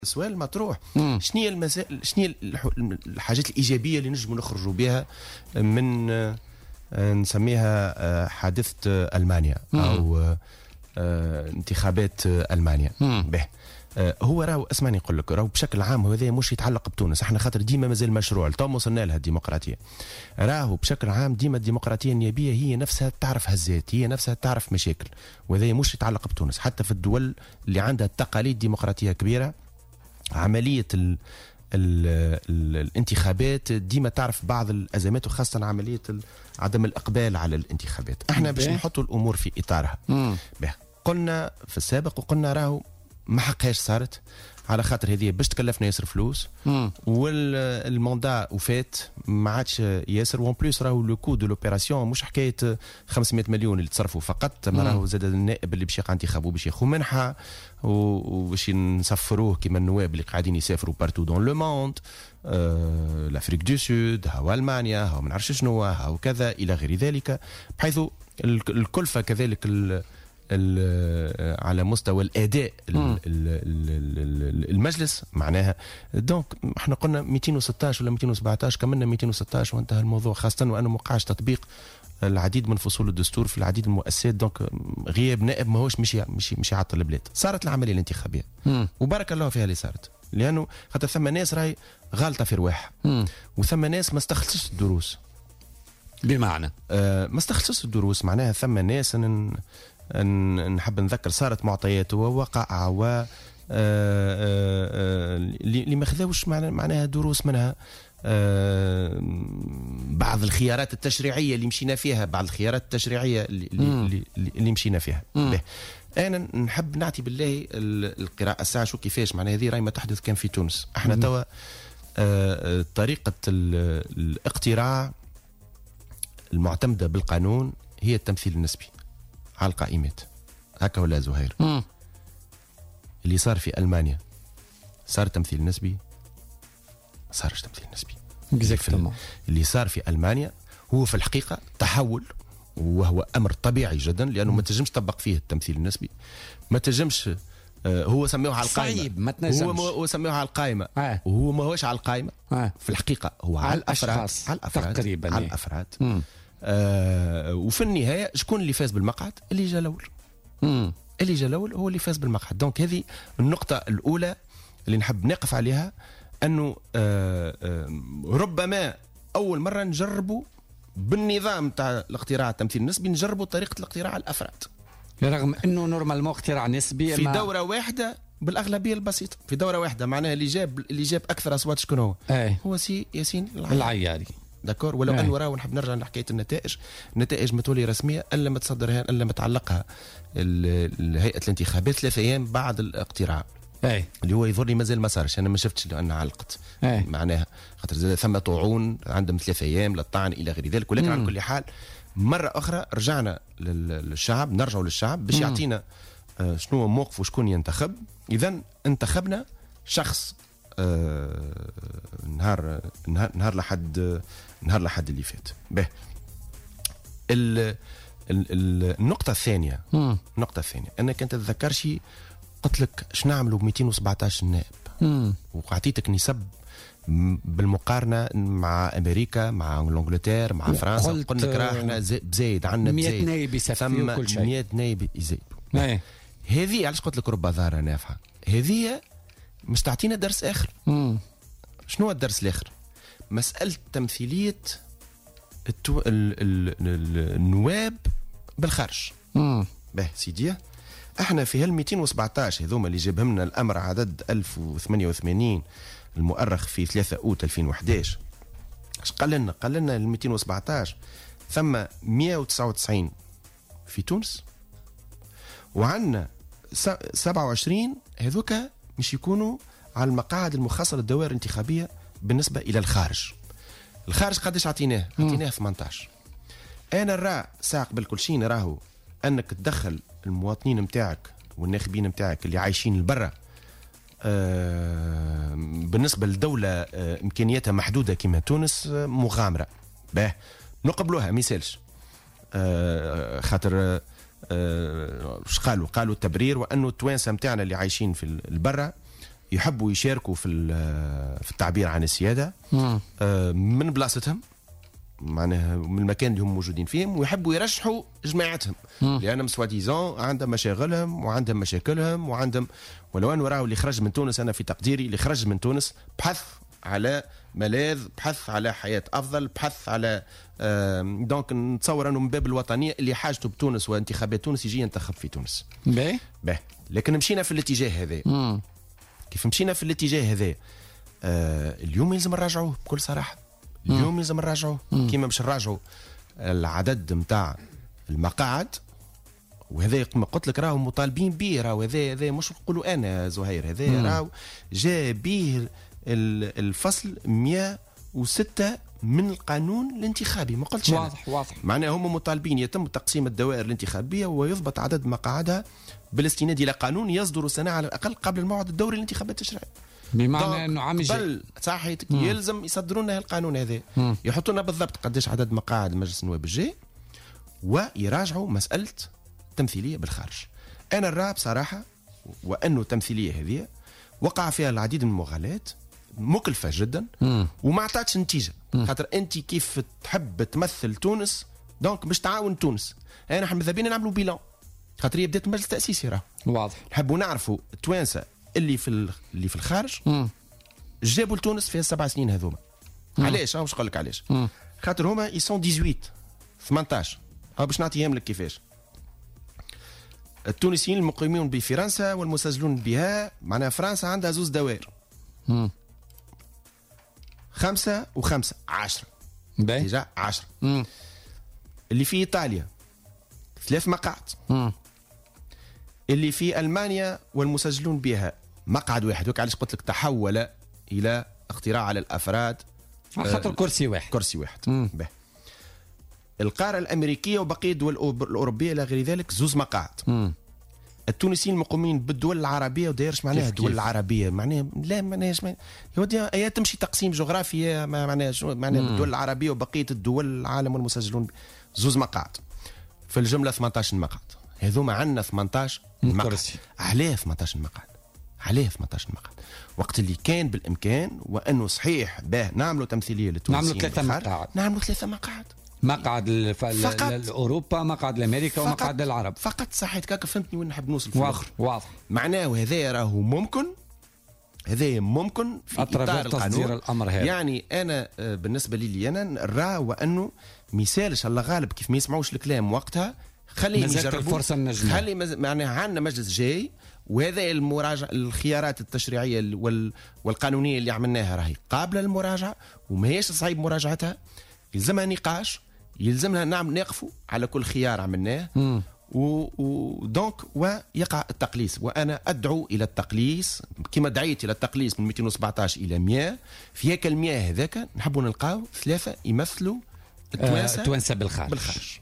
السؤال مطروح، شنو هي المسائل، شنو هي الحاجات الايجابية اللي نجموا نخرجوا بها من نسميها حادثه المانيا او انتخابات المانيا؟ به هو راهو، اسمعني نقول لك، راهو بشكل عام هذا مش يتعلق بتونس احنا، خاطر ديما مازال مشروع تو وصلنا لها الديمقراطيه. راهو بشكل عام ديما الديمقراطية النيابية هي نفسها تعرف هزات، هي نفسها تعرف مشاكل، وهذا مش يتعلق بتونس. حتى في الدول اللي عندها تقاليد ديمقراطية كبيره، عملية ال ال ال الانتخابات ديما تعرف بعض الازمات، وخاصة عملية عدم الاقبال على الانتخابات. احنا باش نحطوا الامور في اطارها، قلنا في السابق وقلنا راهو ما حقهاش صارت، على خاطر هذه باش تكلفنا ياسر فلوس وال mandat وفات، ما عادش ياسر. و en plus راهو le coût de l'opération مش حكاية 500 مليون اللي تصرفوا فقط، ما راهو زاد النائب اللي باش يقع انتخابه باش ياخذ منحه وباش نسفروه كيما النواب اللي قاعدين يسافروا partout dans le monde، l'Afrique du Sud، هاو المانيا، هاو ما نعرفش شنو، هاو كذا الى غير ذلك، بحيث الكلفة كذلك على مستوى الاداء المجلس معناها. donc احنا قلنا 216 ولا 217، كملنا 216 وانتهى الموضوع، خاصة وانه ما وقعش تطبيق العديد من فصول الدستور في العديد من المؤسسات. donc غياب نائب ماهوش مش يعطل البلاد. صارت العملية الانتخابية وبارك الله فيها اللي صارت، لانه خاطر ثم ناس راهي غالطه في رواحها وثم ناس ما استخلصتش الدروس. بمعنى؟ ما استخلصتش الدروس، معناها ثم ناس نحب نذكر صارت معطيات ووقائع و اللي ما خذاوش معناها دروس منها، بعض الخيارات التشريعية اللي مشينا فيها، بعض الخيارات التشريعية اللي مشينا فيها. انا نحب نعطي بالله القراءة الساعة شو كيفاش معناها هذه راهي ما تحدث كان في تونس. احنا توا طريقه الاقتراع المعتمدة بالقانون هي التمثيل النسبي على القائمات، هكا ولا زهير؟ اللي صار في المانيا صار تمثيل نسبي؟ ما صارش تمثيل نسبي. Exactement. اللي صار في المانيا هو في الحقيقة تحول، وهو امر طبيعي جدا، لانه ما تنجمش تطبق فيه التمثيل النسبي، ما تنجمش. هو سموه على القائمه. صعيب، ما تنجمش. هو سموه على القائمه وهو ما هوش على القائمه. في الحقيقة هو على الافراد، على الافراد تقريبا. على الافراد. وفي النهاية شكون اللي فاز بالمقعد؟ اللي جا الاول. اللي جا الاول هو اللي فاز بالمقعد. donc هذه النقطة الاولى اللي نحب نقف عليها، انه ربما اول مرة نجربوا بالنظام تاع الاقتراع التمثيل النسبي، نجربوا طريقه الاقتراع على الافراد. رغم انه normalement اقتراع نسبي في دوره واحدة بالاغلبيه البسيطه، في دوره واحده، معناها اللي جاب اكثر اصوات شكون هو؟ ايه. هو سي ياسين العياري. العياري. d'accord، ولو انه راهو نحب نرجع لحكاية النتائج، النتائج ما تولي رسمية الا ما تصدرها، الا ما تعلقها هيئة الانتخابات 3 ايام بعد الاقتراع. اللي هو يظهر لي مازال ما صارش، انا ما شفتش لان علقت. معناها خاطر زاد ثم طعون، عندهم 3 ايام للطعن الى غير ذلك، ولكن على كل حال مرة اخرى رجعنا للشعب، نرجعوا للشعب باش يعطينا شنو هو موقفه وشكون ينتخب. اذا انتخبنا شخص نهار لحد اللي فات. به النقطة الثانية. النقطة الثانية، أنا كنت تتذكرش قلت لك اش نعملوا ب 217 نائب وأعطيتك نسب بالمقارنة مع أمريكا، مع l'Angleterre، مع فرنسا. قلت قلنا لك راه احنا بزايد عندنا 100 بزايد. نائب يسفي ثم وكل شيء. 100 نائب يزيدوا. هذه علاش قلت لك رب ضارة نافعة، هذه مش تعطينا درس آخر. شنو هو الدرس الآخر؟ مسألة تمثيلية النواب بالخارج. به سيدي، احنا في هال 217 هذوما اللي جابهم لنا الامر عدد 1088 المؤرخ في 3 اوت 2011، اش قال لنا؟ قال لنا ال 217 ثم 199 في تونس وعندنا 27 هذوك مش يكونوا على المقاعد المخصصة للدوائر الانتخابية بالنسبة الى الخارج. الخارج قداش عطيناه؟ عطيناه 18. انا نرى ساعة قبل كل شيء نراهو انك تدخل المواطنين نتاعك والناخبين نتاعك اللي عايشين لبرا، بالنسبة لدولة امكانياتها محدودة كما تونس، مغامره. باه نقبلوها، ما يسالش، خاطر اش قالوا؟ قالوا التبرير وانه التوانسة نتاعنا اللي عايشين في البرة يحبوا يشاركوا في التعبير عن السيادة من بلاصتهم، معناها من المكان اللي هم موجودين فيهم، ويحبوا يرشحوا جماعتهم لانهم soi-disant عندهم مشاغلهم وعندهم مشاكلهم وعندهم، ولو انه راهو اللي خرج من تونس، انا في تقديري اللي خرج من تونس بحث على ملاذ، بحث على حياة أفضل، بحث على donc نتصور أنه من باب الوطنية اللي حاجته بتونس وانتخابات تونس يجي ينتخب في تونس. باهي باهي، لكن مشينا في الاتجاه هذا. كيف مشينا في الاتجاه هذا اليوم يلزم نراجعوه بكل صراحة. اليوم يلزم نراجعوه كيما باش نراجعوا العدد نتاع المقاعد، وهذا كما قلت لك راهو مطالبين به، راهو هذا مش نقولوا انا زهير، هذا راهو جاء به الفصل 106 من القانون الانتخابي، ما قلتش واضح أنا. واضح، معناها هم مطالبين يتم تقسيم الدوائر الانتخابية ويضبط عدد مقاعدها بالاستناد الى قانون يصدر سنة على الاقل قبل الموعد الدوري للانتخابات التشريعية. بمعنى انه عام الجاي صحيح يلزم يصدروا لنا القانون هذا، يحطوا لنا بالضبط قداش عدد مقاعد مجلس النواب الجاي، ويراجعوا مسالة التمثيلية بالخارج. انا نرى بصراحة وانه التمثيلية هذه وقع فيها العديد من المغالات مكلفة جدا وما عطاتش نتيجة. خاطر انت كيف تحب تمثل تونس donc باش تعاون تونس، انا احنا ماذا بينا نعملوا bilan، خاطر هي بدات مجلس تاسيسي راه واضح. نحبوا نعرفوا التوانسة اللي في الخارج جابوا لتونس في السبع سنين هذوما. علاش؟ باش نقول لك علاش. خاطر هما ils sont 18 باش نعطيهم لك كيفاش. التونسيين المقيمون بفرنسا والمسجلون بها، معناها فرنسا عندها زوز دوائر، 5 و5 10 déjà 10. اللي في إيطاليا 3 مقاعد. اللي في ألمانيا والمسجلون بها مقعد واحد. وك علاش قلت لك تحول إلى اقتراع على الأفراد، خاطر كرسي واحد، كرسي واحد. به. القارة الأمريكية وبقية الدول الأوروبية إلى غير ذلك زوز مقاعد. التونسيين المقيمين بالدول العربية، ودايرش معناها الدول العربية، معناها لا معناها يا تمشي تقسيم جغرافي، معناها معناها بالدول العربية وبقية الدول العالم والمسجلون زوز مقاعد. في الجملة 18 مقعد، هذوما عندنا 18 مقعد. علاه 18 مقعد؟ علاه 18 مقعد؟ وقت اللي كان بالإمكان وأنه صحيح باه نعملوا تمثيلية للتونسيين، نعملوا 3 مقاعد، نعملوا 3 مقاعد، مقعد لأوروبا، مقعد لأمريكا، ومقعد للعرب فقط. صحيح كاك، فهمتني وين نحب نوصل في الآخر. واضح، معناه هذا راهو ممكن، هذا ممكن في إطار تصدير الأمر هذا. يعني أنا بالنسبة لي أنا نرى وأنه مثالش الله غالب كيف ما يسمعوش الكلام وقتها، خليهم يجربوا الفرصة النجمة، خلي معناها عندنا مجلس جاي، وهذا المراجعة الخيارات التشريعية والقانونية اللي عملناها راهي قابلة للمراجعة وماهيش صعيب مراجعتها، يلزمها نقاش، يلزمنا نعم نقفوا على كل خيار عملناه و donc ويقع التقليص. وانا ادعو الى التقليص كما دعيت الى التقليص من 217 الى 100. في هيك ال 100 هذاك نحبوا نلقاو 3 يمثلوا التوانسة بالخارج.